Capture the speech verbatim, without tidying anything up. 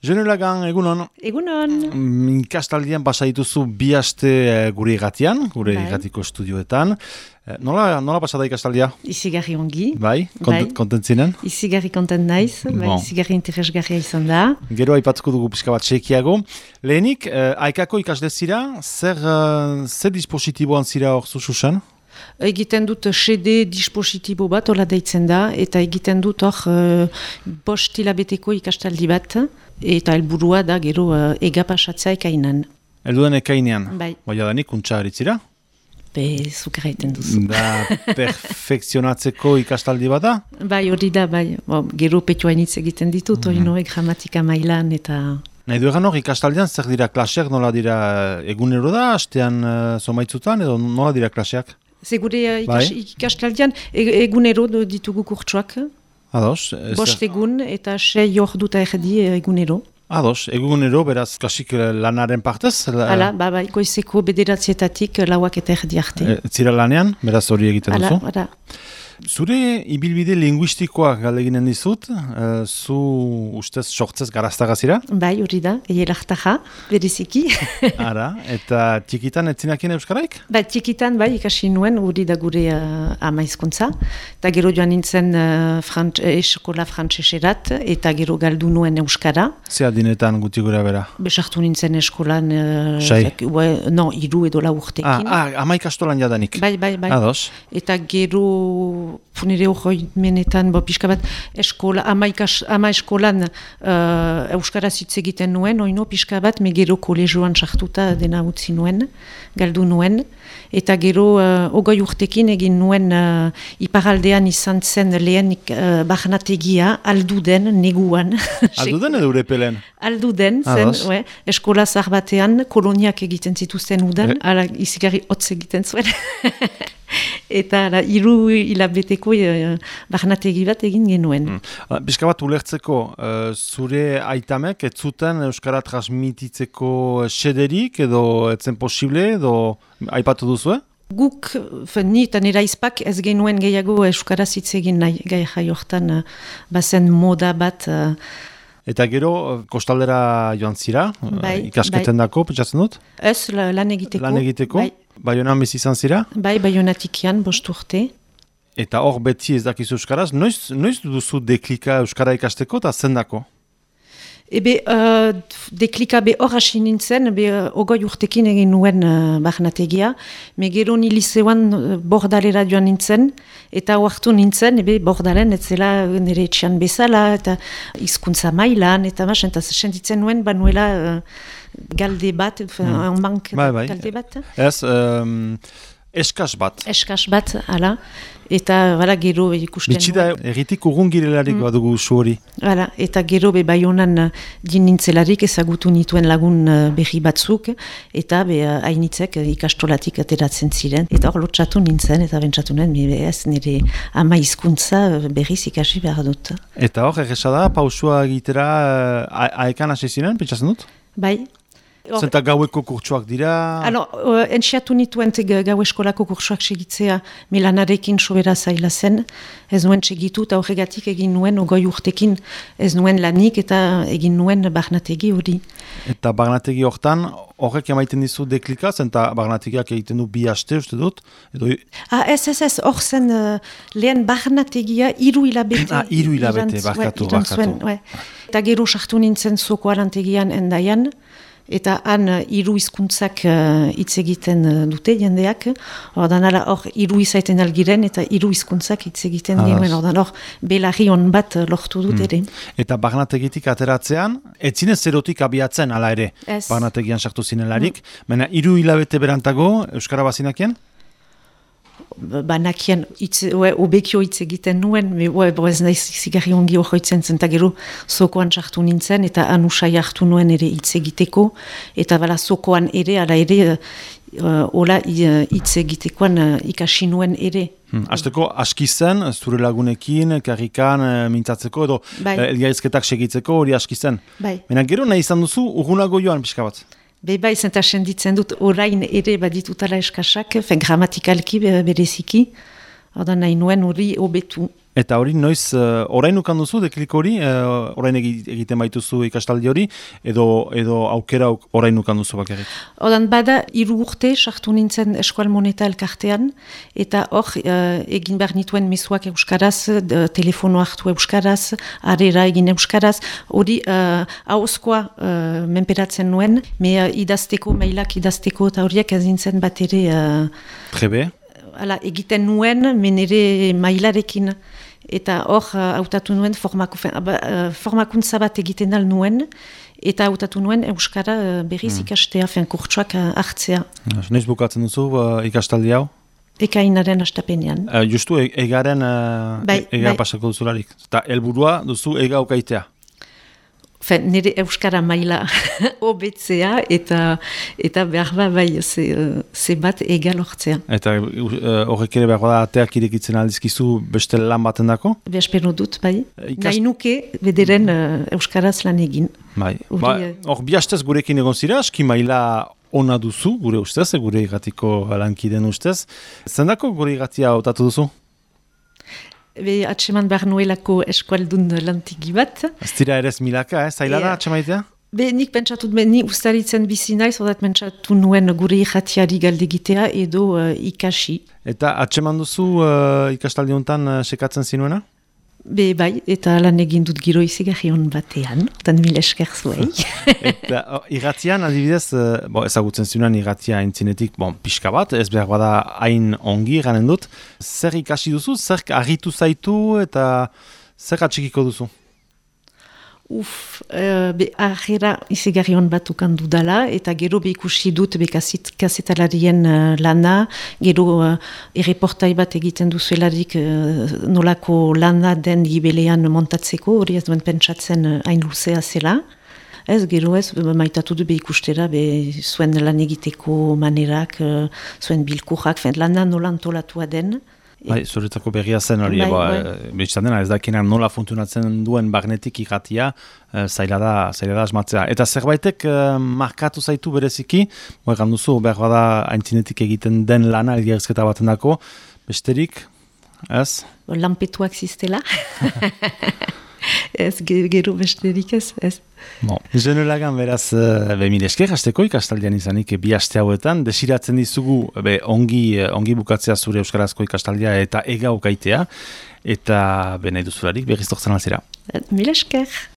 Jone Lagan, egunon. Egunon. Mm, Ikastaldian pasa dituzu bi aste eh, gure igatian, gure Bai. igatiko estudioetan. Eh, nola, nola pasa da ikastaldia? Izigarri ongi. Bai, kontent, Bai. kontentzinen? Izigarri kontent naiz, bai, Bon. izigarri interesgarria izan da. Gero aipatuko dugu pixka bat txekiago. Lehenik, eh, aikako ikasle zira, zer, eh, zer dispositiboan zira hor zuzuzen? Egiten dut C D dispositibo bat, hola deitzen da, eta egiten dut hor uh, bost hilabeteko ikastaldi bat, eta helburua da gero uh, ega pasatzea ekainan. Elduden ekainean. Bai. Baina danik, untxa eritzira? Be, zukera egiten duzu. Da perfekzionatzeko ikastaldi bat da? Bai, hori da, bai. Bo, gero petioainitz egiten ditut, hori Mhm. noe, gramatika mailan, eta... Nahi du egan hor, ikastaldian zer dira klaseak, nola dira egunero da, astean uh, zomaitzutan, edo nola dira klaseak? Zegure uh, ikas, Bai. ikastaldian e, egunero do- ditugu kurtsuak, Ados, ez- bost egun eta sei orduta erdi egunero. ados, egunero, beraz, kasik eh, lanaren partez? la- Hala, ba, ba, goizeko bederatzietatik lauak eta erdi arte. eh, zira lanean, beraz hori egiten Hala, duzu. hala. Zure ibilbide linguistikoak galdeginen dizut, eh, zu ustez sortzez garaztagazira, Bai, hori da, eielartaja, bereziki. ara, eta txikitan etzinakien euskaraik? Ba, txikitan, bai, ikasi nuen, hori da gure uh, ama hizkuntza. Eta gero joan nintzen uh, frant, eh, eskola frantseserat, eta gero galdu nuen euskara. Ze adinetan guti gura bera? Besartu nintzen eskolan, uh, Sei. zak- ue, no, iru edo lau Ah, urtekin. ah, ama ikastolan jadanik. Bai, bai, bai. Ados, Eta gero funere hori menetan, bo, pixka bat, eskola, ama, ikas, ama eskolan uh, euskaraz hitz egiten nuen, oino pixka bat, me gero kolegioan sartuta dena utzi nuen, galdu nuen, eta gero uh, ogoi urtekin egin nuen uh, iparaldean izan zen lehen uh, barnategia, alduden, neguan. alduden edo urepelen? Alduden, zen, Ados. ue, eskola zahar batean, koloniak egiten zituzten udan, Eh. ala izigarri hotz egiten zuen. Eta ala, hiru hilabeteko e, barnategi bat egin genuen. Mm. Bizka bat ulertzeko, eh, zure aitamek ez zuten euskara transmititzeko sederik edo etzen posible edo aipatu duzue? Guk, fen, ni eta nera izpak ez genuen gehiago euskaraz hitz egin nahi, gai jai hortan uh, bazen moda bat, uh, Eta gero, eh, kostaldera joan zira, eh, Bai, ikasketen dako, pentsatzen dut? ez la- lan egiteko. Lan egiteko, Bai, Baionan bizi izan zira, bai baionatikian, bost urte. eta hor beti ez dakizu euskaraz, noiz, noiz duzu deklika euskara ikasteko eta zendako? Ebe, uh, deklika be hor hasi nintzen, be uh, ogoi urtekin egin nuen uh, barnategia, me gero ni liceoan uh, bordalera joan nintzen, eta oartu nintzen, ebe bordalen ez zela nire etxean bezala, eta hizkuntza mailan, eta mas, eta sentitzen nuen, banuela uh, galde bat, mm. bank Bai, bai. galde bat, Ez, um, eskas bat. eskas bat, ala, eta bala gero ikusten Bitxida, erritik urrun girelarik badugu usu hori. Hala, eta gero be baionan uh, din nintzelarik ezagutu nituen lagun uh, berri batzuk, eta be uh, hainitzek uh, ikastolatik ateratzen ziren. Eta hor lotsatu nintzen, eta bentsatu nuen, mi be ez nire ama hizkuntza uh, berriz ikasi behar dut. Eta hor, egesa da, pausua egitera uh, aekan hasi ziren, pentsatzen dut? Bai? Hor- Zenta gaueko kurtsuak dira... Alors, uh, enxiatu nituen te ga- gau eskolako kursuak segitzea milanarekin sobera zaila zen, ez nuen segitu eta horregatik egin nuen ogoi urtekin ez nuen lanik eta egin nuen barnategi hori. Eta barnategi hortan, horrek emaiten dizu deklika, zenta barnategiak egiten du bi aste, uste dut, edo... Ah, ez, ez, ez, hor zen uh, lehen barnategia hiru hilabete. Ah, hiru hilabete, irantz- barkatu, ue, iran barkatu. zuen, ue. Eta gero sartu nintzen zoko arantegian endaian, eta han uh, hiru hizkuntzak uh, hitz egiten uh, dute jendeak, ordan ala hor hiru izaiten algiren eta hiru hizkuntzak hitz egiten Ados. genuen, ordan hor belarri on bat uh, lortu dut ere. Eta barnategitik ateratzean, etzine zerotik abiatzen, ala ere, Ez. barnategian sartu zinelarik, baina hiru hilabete berantago, Euskara bazinakien? Banakien hitz, ue, obekio hitz egiten nuen, me, ue, bo ez naiz zigarri ongi horretzen zen, eta gero zokoan sartu nintzen, eta anusai hartu nuen ere hitz egiteko, eta bala zokoan ere, ala ere, uh, hola uh, hitz egitekoan uh, ikasi nuen ere. Hmm. Azteko, aski zen, zure lagunekin, karrikan, eh, mintzatzeko, edo Bai. eh, elgarizketak segitzeko, hori aski zen. Bai, Baina gero nahi izan duzu, urgunago joan pixka bat. be bai, zenta senditzen dut orain ere baditutala eskasak, fen grammatikalki be- bereziki, Hada nahi nuen hori hobetu. Eta hori noiz, uh, orain ukan duzu, deklik hori, uh, orain egiten baituzu ikastaldi hori, edo, edo aukera orain ukan duzu bakarrik? Odan bada, hiru urte sartu nintzen Eskual Moneta elkartean, eta hor uh, egin behar nituen mezuak euskaraz, de, telefono hartu euskaraz, arera egin euskaraz, hori uh, hauzkoa uh, menperatzen nuen, me uh, idazteko, mailak idazteko, eta horiek ezintzen bat ere... Uh, Trebe? Hala, egiten nuen, menere mailarekin, eta hor hautatu nuen formako, uh, formakuntza bat egiten dal nuen, eta hautatu nuen euskara uh, berriz mm. ikastea, fen kurtsuak uh, hartzea. Noiz bukatzen duzu uh, ikastaldi hau? Ekainaren astapenean. Uh, justu, e egaren uh, bai, ega bai. pasako duzularik. Eta helburua duzu ega ukaitea? Fen, nire euskara maila hobetzea eta eta behar ba bai ze, ze bat egal hortzea. Eta horrek uh, ere behar da ateak irekitzen aldizkizu beste lan baten dako? Behespero dut, bai. Ikas... Nahi nuke bederen uh, euskaraz lan egin. Bai. Hor ba, uh... bi hastez gurekin egon zira, aski maila ona duzu, gure ustez, gure igatiko lankiden ustez. Zendako gure igatia hautatu duzu? Be, atseman behar nuelako eskualdun lantigi bat. Ez dira ere ez milaka, eh? Zaila da atsemaitea? Be, nik pentsatut, be, ni ustaritzen bizi naiz, odat pentsatu nuen gure ikatiari galdegitea edo uh, ikasi. Eta atseman duzu uh, ikastaldi honetan uh, sekatzen zinuena? Be, bai, eta lan egin dut giro izigarri hon batean, otan mil esker zuei. Eta oh, irratian, adibidez, uh, bo, ezagutzen zinuan irratia entzinetik, bon, pixka bat, ez behar bada hain ongi ganen dut. Zer ikasi duzu, zer argitu zaitu eta zer atxikiko duzu? Uf, uh, be, ahera izigarri hon bat ukan dudala, eta gero be ikusi dut be kasetalarien uh, lana, gero uh, erreportai bat egiten duzuelarik uh, nolako lana den gibelean montatzeko, hori ez duen pentsatzen uh, hain luzea zela. Ez, gero ez, maitatu du be ikustera, be zuen lan egiteko manerak, uh, zuen bilkurrak, lana nola antolatua den. Bai, zuretzako berria zen hori, bai, bai. Betxetan dena, ez dakinan nola funtzionatzen duen bagnetik ikatia, e, zaila da, zaila da asmatzea. Eta zerbaitek e, markatu zaitu bereziki, egan duzu, behar bada aintzinetik egiten den lana elgerzketa baten dako, besterik, ez? Lanpetuak ziztela. Ez, gero besterik ez, ez. Bon, Jenolagan beraz, be mil esker, hasteko ikastaldian izanik bi aste hauetan, desiratzen dizugu be, ongi, ongi bukatzea zure euskarazko ikastaldia eta ega ukaitea, eta be nahi duzularik berriz tortzen alzera. Mil esker.